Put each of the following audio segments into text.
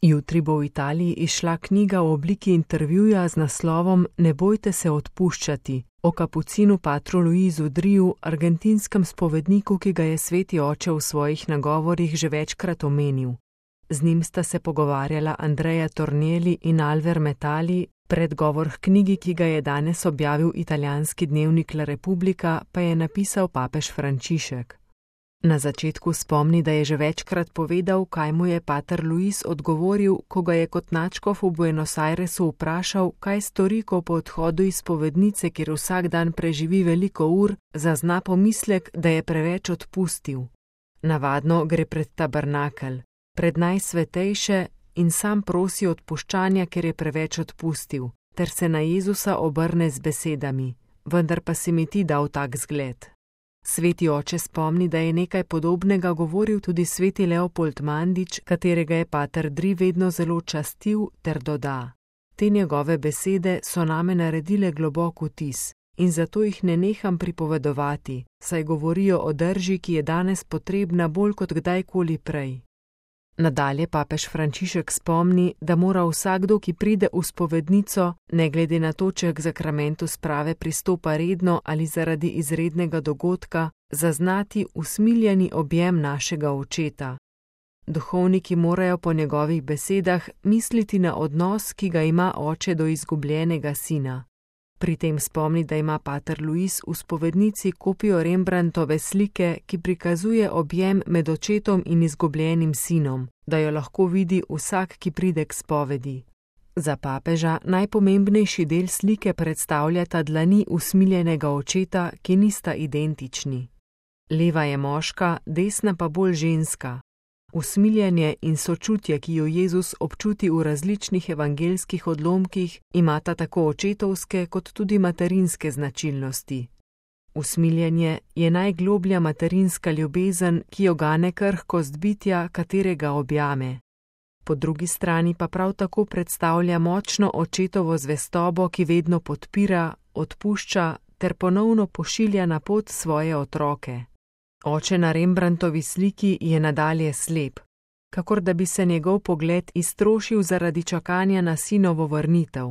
Jutri bo v Italiji izšla knjiga v obliki intervjuja z naslovom Ne bojte se odpuščati o kapucinu patru Luisu Driju, argentinskem spovedniku, ki ga je sveti oče v svojih nagovorih že večkrat omenil. Z njim sta se pogovarjala Andrea Tornielli in Alver Metali, predgovor k knjigi, ki ga je danes objavil italijanski dnevnik La Repubblica, pa je napisal papež Frančišek. Na začetku spomni, da je že večkrat povedal, kaj mu je pater Luis odgovoril, ko ga je kot nadškof v Buenos Airesu vprašal, kaj stori, ko po odhodu iz spovednice, kjer vsak dan preživi veliko ur, zazna pomislek, da je preveč odpustil. Navadno gre pred tabernakelj, pred najsvetejše in sam prosi odpuščanja, ker je preveč odpustil, ter se na Jezusa obrne z besedami: vendar pa si mi ti dal tak zgled. Sveti oče spomni, da je nekaj podobnega govoril tudi sveti Leopold Mandić, katerega je pater Dri vedno zelo častil, ter doda: te njegove besede so name naredile globok vtis in zato jih ne neham pripovedovati, saj govorijo o drži, ki je danes potrebna bolj kot kdajkoli prej. Nadalje papež Frančišek spomni, da mora vsakdo, ki pride v spovednico, ne glede na to, če k zakramentu sprave pristopa redno ali zaradi izrednega dogodka, zaznati usmiljeni objem našega očeta. Duhovniki morajo po njegovih besedah misliti na odnos, ki ga ima oče do izgubljenega sina. Pri tem spomni, da ima pater Luis v spovednici kopijo Rembrandtove slike, ki prikazuje objem med očetom in izgubljenim sinom, da jo lahko vidi vsak, ki pride k spovedi. Za papeža najpomembnejši del slike predstavljata dlani usmiljenega očeta, ki nista identični. Leva je moška, desna pa bolj ženska. Usmiljenje in sočutje, ki jo Jezus občuti v različnih evangeljskih odlomkih, imata tako očetovske kot tudi materinske značilnosti. Usmiljenje je najgloblja materinska ljubezen, ki jo gane krhkost bitja, katerega objame. Po drugi strani pa prav tako predstavlja močno očetovo zvestobo, ki vedno podpira, odpušča ter ponovno pošilja na pot svoje otroke. Oče na Rembrandtovi sliki je nadalje slep, kakor da bi se njegov pogled iztrošil zaradi čakanja na sinovo vrnitev.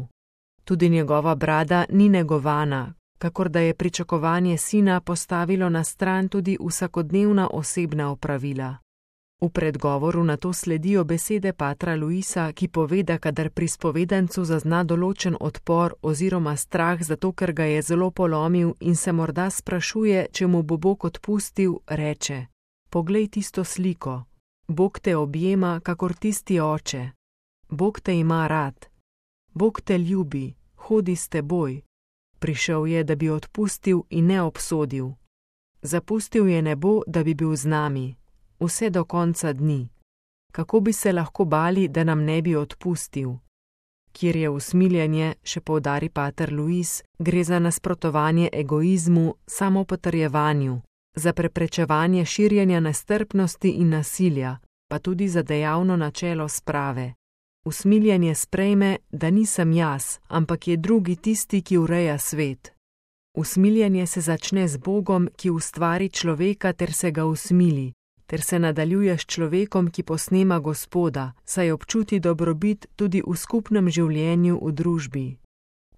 Tudi njegova brada ni negovana, kakor da je pričakovanje sina postavilo na stran tudi vsakodnevna osebna opravila. V predgovoru na to sledijo besede patra Luisa, ki pove, da kadar pri spovedancu zazna določen odpor oziroma strah zato, ker ga je zelo polomil in se morda sprašuje, če mu bo Bog odpustil, reče: poglej tisto sliko, Bog te objema, kakor tisti oče. Bog te ima rad. Bog te ljubi, hodi s teboj. Prišel je, da bi odpustil in ne obsodil. Zapustil je nebo, da bi bil z nami. Vse do konca dni. Kako bi se lahko bali, da nam ne bi odpustil? Kjer je usmiljenje, še poudari pater Luis, gre za nasprotovanje egoizmu, samopotrjevanju, za preprečevanje širjenja nestrpnosti in nasilja, pa tudi za dejavno načelo sprave. Usmiljenje sprejme, da nisem jaz, ampak je drugi tisti, ki ureja svet. Usmiljenje se začne z Bogom, ki ustvari človeka ter se ga usmili, ter se nadaljuje s človekom, ki posnema Gospoda, saj občuti dobrobit tudi v skupnem življenju v družbi.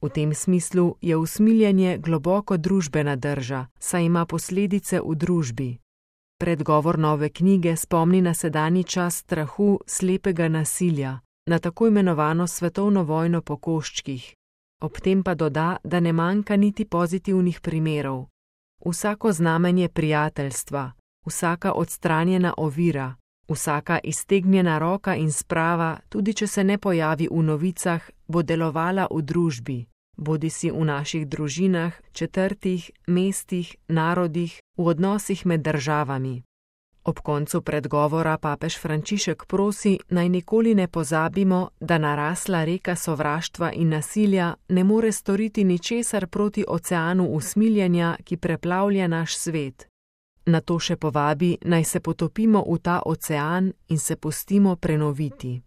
V tem smislu je usmiljenje globoko družbena drža, saj ima posledice v družbi. Predgovor nove knjige spomni na sedanji čas strahu, slepega nasilja, na tako imenovano svetovno vojno po koščkih. Ob tem pa doda, da ne manjka niti pozitivnih primerov. Vsako znamenje prijateljstva, vsaka odstranjena ovira, vsaka iztegnjena roka in sprava, tudi če se ne pojavi v novicah, bo delovala v družbi, bodisi v naših družinah, četrtih, mestih, narodih, v odnosih med državami. Ob koncu predgovora papež Frančišek prosi, naj nikoli ne pozabimo, da narasla reka sovraštva in nasilja ne more storiti ničesar proti oceanu usmiljenja, ki preplavlja naš svet. Nato še povabi, naj se potopimo v ta ocean in se pustimo prenoviti.